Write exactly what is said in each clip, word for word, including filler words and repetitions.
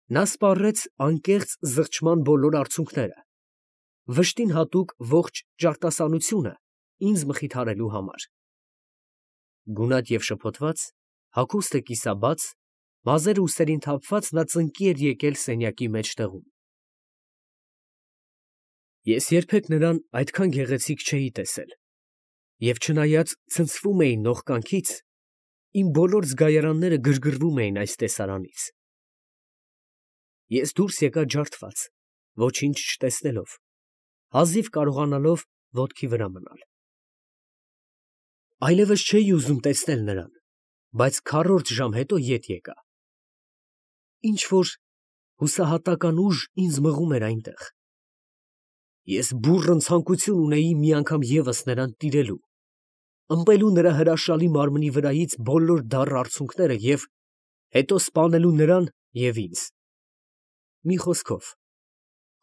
Նա սպառեց անկեղծ զղջման բոլոր արցունքները, վշտին հատուկ ողջ ճարտասանությունը ինձ մխիթարելու համար. գունատ և շփոթված, հագուստը կիսաբաց, մազերը ուսերին թափված, նա ծնկի էր եկել սենյակի մեջտեղում։ Ես երբեք նրան այդքան գեղեցիկ չէի տեսել, և չնայած ցնցվում էի նողկանքից, իմ բոլոր զգայարանները գրգռվում էին այս տեսարանից։ Ես դուրս եկա ջարդված, ոչինչ չտեսնելով, հազիվ կարողանալով ոտքի վրա մնալ։ Այլևս չէի ուզում տեսնել նրան, բայց քառորդ ժամ հետո ետ եկա։ Ինչ֊որ հուսահատական ուժ ինձ մղում էր այնտեղ։ Ես բուռն ցանկություն ունեի մի անգամ ևս նրան տիրելու, ըմպելու նրա հրաշալի մարմնի վրայից բոլոր դառը արցունքները և հետո սպանելու նրան և ինձ։ Մի խոսքով,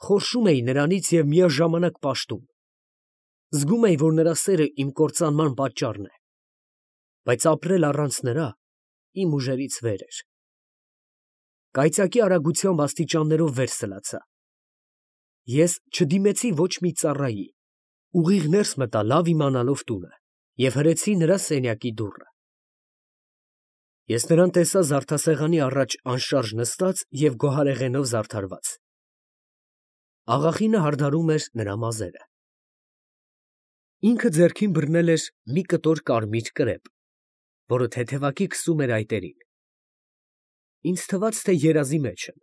խորշում էի նրանից և միաժամանակ պաշտում։ Զգում էի, որ նրա սերը իմ կործանման պատճառն է, բայց ապրել առանց նրա իմ ուժերից վեր էր։ Կայծակի արագությամբ աստիճաններով վեր սլացա։ Ես չդիմեցի ոչ մի ծառայի, ուղիղ ներս մտա լավ իմանալով տունը և հրեցի նրա սենյակի դուռը։ Ես նրան տեսա զարդասեղանի առաջ անշարժ նստած և գոհարեղենով զարդարված։ Աղախինը հարդարում էր նրա մազերը։ Ինքը ձեռքին բռնել էր մի կտոր կարմիր կրեպ, որը թեթևակի քսում էր այտերին։ Ինձ թվաց, թե երազի մեջ եմ։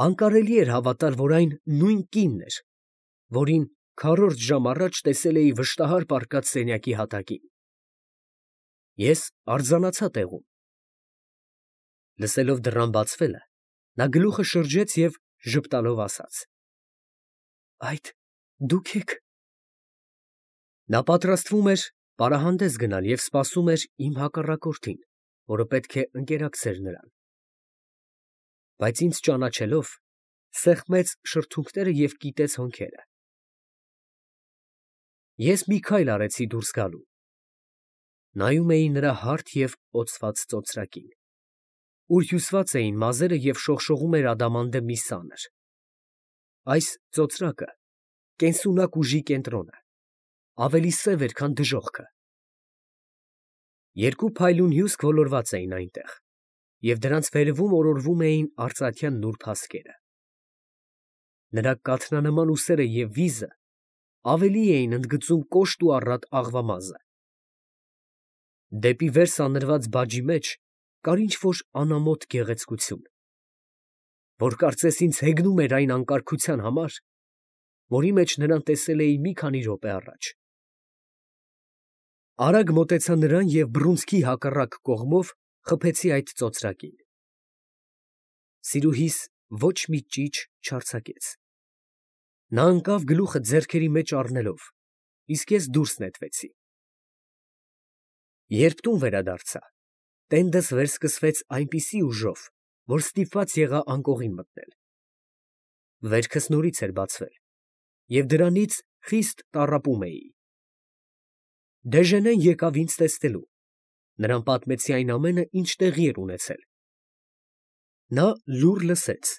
Անկարելի էր հավատալ, որ այն նույն կինն էր, որին քառորդ ժամ առաջ տեսել էի վշտահար պառկած սենյակի հատակին։ Ես արձանացա տեղում։ Լսելով դռան բացվելը, նա գլուխը շրջեց և ժպտալով ասաց. «Այդ դուք եք»։ Նա պատրաստվում էր պարահանդես գնալ և սպասում էր իմ հակառակորդին, որը պետք է ընկերակցեր նրան։ Բայց ինձ ճանաչելով, սեղմեց շրթունքները և կիտեց հոնքերը։ Ես մի քայլ արեցի դուրս գալու։ Նայում էի նրա հարթ և օծված ծոծրակին, ուր հյուսված էին մազերը և շողշողում էր ադամանդե մի սանր։ Այս ծոծրակը կենսունակ ուժի կենտրոնը, ավելի սև էր, քան դժոխքը։ Երկու փայլուն հյուսք ոլորված էին այնտեղ, և դրանց վերևում օրորվում էին արծաթյան նուրբ հասկերը։ Նրա կաթնանման ուսերը և վիզը ավելի էին ընդգծում կոշտ ու առատ աղվամազը։ Դեպի վեր սանրված բաջի մեջ կար ինչ֊որ անամոթ գեղեցկություն, որ կարծես ինձ հեգնում էր այն անկարգության համար, որի մեջ նրան տեսել էի մի քանի րոպե առաջ։ Արագ մոտեցա նրան և բռունցքի հակառակ կողմով խփեցի այդ ծոծրակին։ Սիրուհիս ոչ մի ճիչ չարձակեց։ Նա ընկավ գլուխը ձեռքերի մեջ առնելով, իսկ ես դուրս նետվեցի։ Երբ տուն վերադարձա, տենդս վերսկսվեց այնպիսի ուժով, որ ստիպված եղա անկողին մտնել։ Վերքս նորից էր բացվել, և դրանից խիստ տառապում էի։ Դեժենեն եկավ ինձ տեսնելու, նրան պատմեցի այն ամենը, ինչ տեղի էր ունեցել։ Նա լուռ լսեց,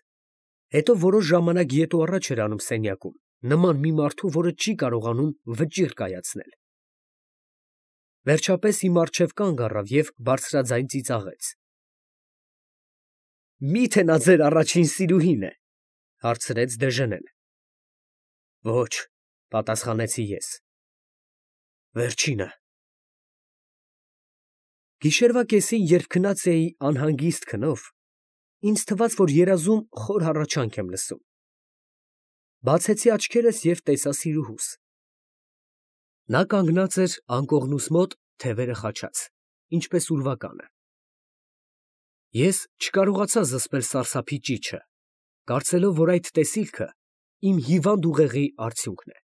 հետո որոշ ժամանակ ետ ու առաջ էր անում սենյակում, նման մի մարդու, որը չի կարողանում վճիռ կայացնել։ Վերջապես իմ առջև կանգ առավ և բարձրաձայն ծիծաղեց։ ֊ Մի՞թե նա ձեր առաջին սիրուհին է, ֊ հարցրեց Դեժենեն։ ֊ Ոչ, ֊ պատասխանեցի ես։ ֊ Վերջինը։ Գիշերվա կեսին, երբ քնած էի անհանգիստ քնով, ինձ թվաց, որ երազում խոր հառաչանք եմ լսում։ Բացեցի աչքերս և տեսա սիրուհուս։ Նա կանգնած էր անկողնուս մոտ, թևերը խաչած, ինչպես ուրվականը։ Ես չկարողացա զսպել սարսափի ճիչը, կարծելով, որ այդ տեսիլքը իմ հիվանդ ուղեղի արդյունքն է։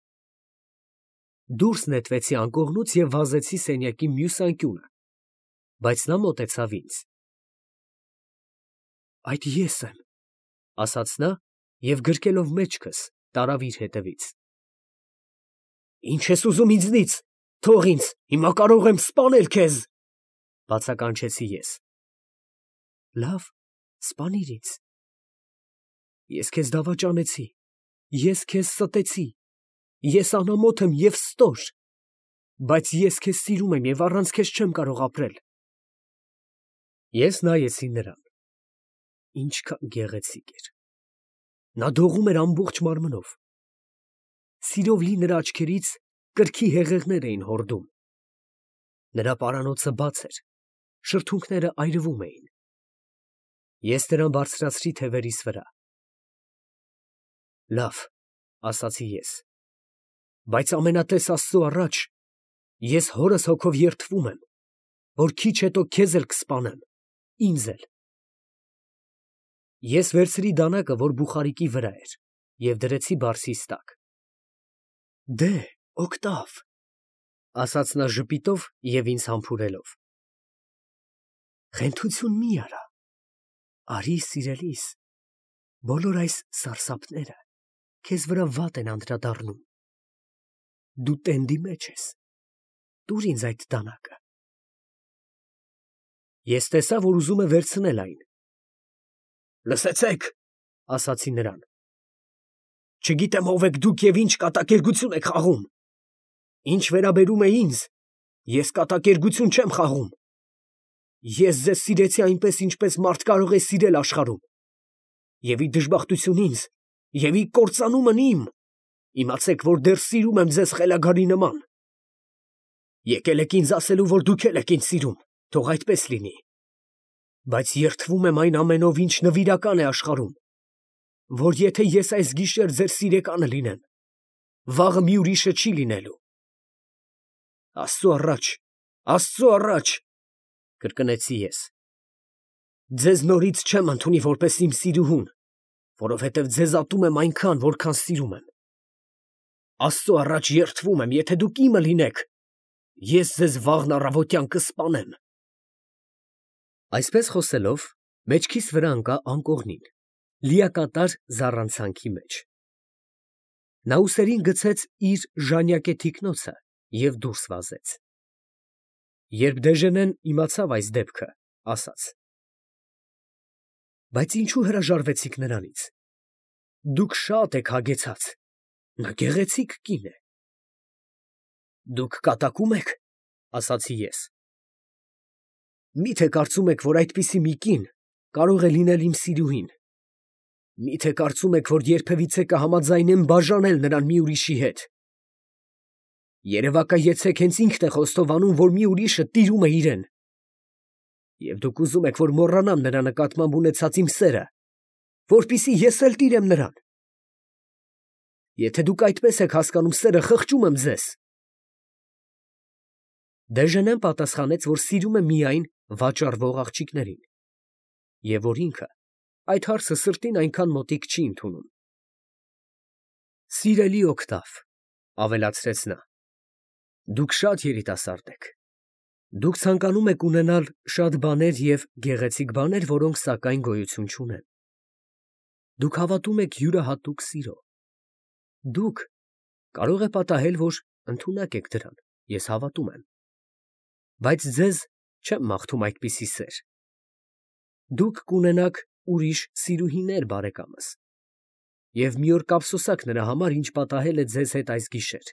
Դուրս նետվեցի անկողնուց և վազեցի սենյակի մյուս անկյունը, բայց նա մոտեցավ ինձ։ ֊ Այդ ես եմ, ֊ ասաց նա և գրկելով մեջքս, տարավ իր հետևից։ ֊ Ի՞նչ ես ուզում ինձնից, թող ինձ, հիմա կարող եմ սպանել քեզ, ֊ բացականչեցի ես։ ֊ Լավ, սպանիր ինձ, Ես քեզ դավաճանեցի, ես քեզ ստեցի, ես անամոթ եմ և ստոր, բայց ես քեզ սիրում եմ և առանց քեզ չեմ կարող ապրել։ Ես նայեցի նրան. ինչքան գեղեցիկ էր։ Նա դողում էր ամբողջ մարմնով։ Սիրով լի նրա աչքերից կրքի հեղեղներ էին հորդում։ Նրա պարանոցը բաց էր, շրթունքները այրվում էին։ Ես նրան բարձրացրի թևերիս վրա։ Լավ, ասացի ես, բայց ամենատես Աստծու առաջ ես հորս հոգով երդվում եմ, որ քիչ հետո քեզ էլ կսպանեմ, ինձ էլ։ Ես վերցրի դանակը, որ բուխարիկի վրա էր, և դրեցի բարձիս տակ։ Դե, Օգտավ, ասաց նա ժպիտով և ինձ համբուրելով, խենթություն մի արա, արի սիրելիս, բոլոր այս սարսափները քեզ վրա վատ են անդրադառնում, դու տենդի մեջ ես, տուր ինձ այդ դանակը։ Ես տեսա, որ ուզում է վերցնել այն։ Լսեցեք, ասացի նրան, չգիտեմ ով եք դուք և ինչ կատակերգություն եք խաղում։ Ինչ վերաբերում է ինձ, ես կատակերգություն չեմ խաղում։ Ես ձեզ սիրեցի այնպես, ինչպես մարդ կարող է սիրել աշխարհում։ Եվ ի դժբախտություն ինձ, և ի կործանումն իմ, իմացեք, որ դեռ սիրում եմ ձեզ խելագարի նման։ Եկել եք ինձ ասելու, որ դուք էլ եք ինձ սիրում, թող այդպես լինի։ Բայց երդվում եմ այն ամենով, ինչ նվիրական է աշխարհում, որ եթե ես այս գիշեր ձեր սիրեկանը լինեմ, վաղը մի ուրիշը չի լինելու։ Աստծու առաջ, Աստծու առաջ, կրկնեցի ես, ձեզ նորից չեմ ընդունի որպես իմ սիրուհուն, որովհետև ձեզ ատում եմ այնքան, որքան սիրում եմ։ Աստծու առաջ երդվում եմ, եթե դուք իմը լինեք, ես ձեզ վաղն առավոտյան կսպանեմ։ Այսպես խոսելով, մեջքիս վրա ընկա անկողնին, լիակատար զառանցանքի մեջ։ Նա ուսերին գցեց իր ժանյակե թիկնոցը և դուրս վազեց։ Երբ Դեժենեն իմացավ այս դեպքը, ասաց. բայց ինչու հրաժարվեցիք նրանից։ Դուք շատ եք հագեցած, նա գեղեցիկ կին է։ Դուք կատակում եք, ասացի ես։ Մի՞թե կարծում եք, որ այդպիսի մի կին կարող է լինել իմ սիրուհին։ Մի՞թե կարծում եք, որ երբևիցե կհամաձայնեմ բաժանել նրան մի ուրիշի հետ։ Երևակայեցեք, հենց ինքն է խոստովանում, որ մի ուրիշը տիրում է իրեն։ Եվ դուք ուզում եք, որ մոռանամ նրա նկատմամբ ունեցած իմ սերը, որպեսզի ես էլ տիրեմ նրան։ Եթե դուք այդպես եք հասկանում սերը, խղճում եմ ձեզ։ Դեժենեն պատասխանեց, որ սիրում է միայն վաճառվող աղջիկներին, և որ ինքը այդ հարցը սրտին այնքան մոտիկ չի ընդունում։ Սիրելի Օգտավ, ավելացրեց նա, դուք շատ երիտասարդ եք։ Դուք ցանկանում եք ունենալ շատ բաներ և գեղեցիկ բաներ, որոնք սակայն գոյություն չունեն։ Դուք հավատում եք յուրահատուկ սիրո։ Դուք, կարող է պատահել, որ ընդունակ եք դրան, ես հավատում եմ։ Բայց ձեզ չեմ մաղթում այդպիսի սեր։ Դուք կունենաք ուրիշ սիրուհիներ, բարեկամս, և մի օր կափսոսաք նրա համար, ինչ պատահել է ձեզ հետ այս գիշեր։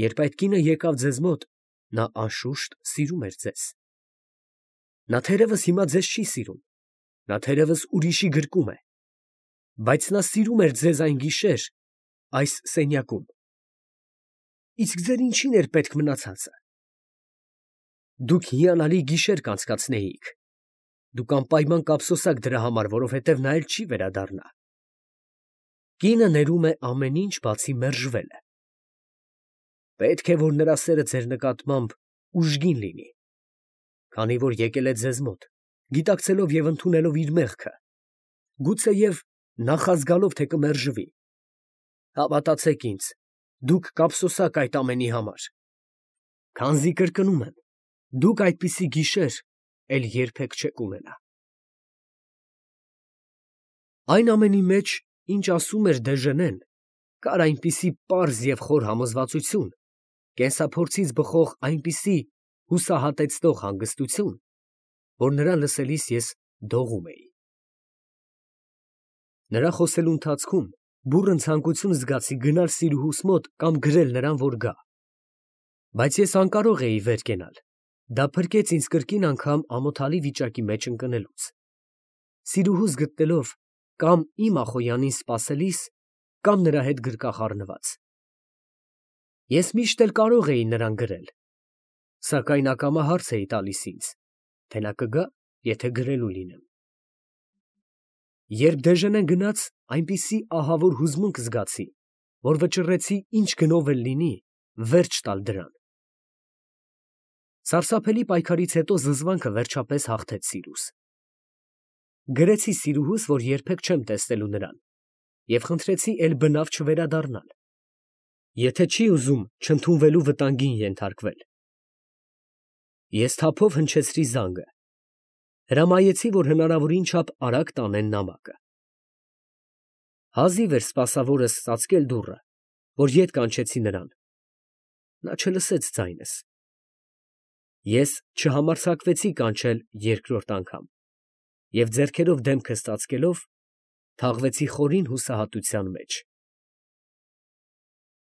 Երբ այդ կինը եկավ ձեզ մոտ, նա անշուշտ սիրում էր ձեզ։ Նա թերևս հիմա ձեզ չի սիրում, նա թերևս ուրիշի գրկում է, բայց նա սիրում էր ձեզ այն գիշեր այս սենյակում։ Իսկ ձեր ինչի՞ն էր պետք մնացածը։ Դուք հիանալի գիշեր կանցկացնեիք։ Դուք անպայման կափսոսաք դրա համար, որովհետև նա էլ չի վերադառնա։ Կինը ներում է ամեն ինչ, բացի մերժվելը։ Պետք է, որ նրա սերը ձեր նկատմամբ ուժգին լինի, քանի որ եկել է ձեզ մոտ, գիտակցելով և ընդունելով իր մեղքը, գուցեև նախազգալով, թե կմերժվի։ Հավատացեք ինձ, դուք կափսոսաք այդ ամենի համար, քանզի կրկնում եմ, դուք այդպիսի գիշեր էլ երբեք չեք ունենա։ Այն ամենի մեջ, ինչ ասում էր Դեժենեն, կար այնպիսի պարզ և խոր համոզվածություն, կենսափորձից բխող այնպիսի հուսահատեցնող հանգստություն, որ նրան լսելիս ես դողում էի։ Նրա խոսելու ընթացքում բուռն ցանկություն զգացի գնալ Սիրուհուս մոտ կամ գրել նրան, որ գա, բայց ես անկարող էի վեր կենալ. դա փրկեց ինձ կրկին անգամ ամոթալի վիճակի մեջ ընկնելուց, Սիրուհուս գտնելով կամ իմ Ախոյանին սպասելիս, կամ նրա հետ գրկախ առնված։ Ես միշտ էլ կարող էի նրան գրել, սակայն ակամա հարց էի տալիս ինձ, թե նա կգա, եթե գրելու լինեմ։ Երբ Դեժենեն գնաց, այնպիսի ահավոր հուզմունք զգացի, որ վճռեցի ինչ գնով էլ լինի, վերջ տալ դրան։ Սարսափելի պայքարից հետո զզվանքը վերջապես հաղթեց սիրուս։ Գրեցի Սիրուհուս, որ երբեք չեմ տեսնելու նրան, և խնդրեցի էլ բնավ չվերադառնալ, եթե չի ուզում չընդունվելու վտանգին ենթարկվել։ Ես թափով հնչեցրի զանգը, հրամայեցի, որ հնարավորին չափ արագ տանեն նամակը։ Հազիվ էր սպասավորս ծածկել դուռը, որ ետ կանչեցի նրան, նա չլսեց ձայնս։ Ես չհամարձակվեցի կանչել երկրորդ անգամ և ձեռքերով դեմքս ծածկելով, թաղվեցի խորին հուսահատության մեջ։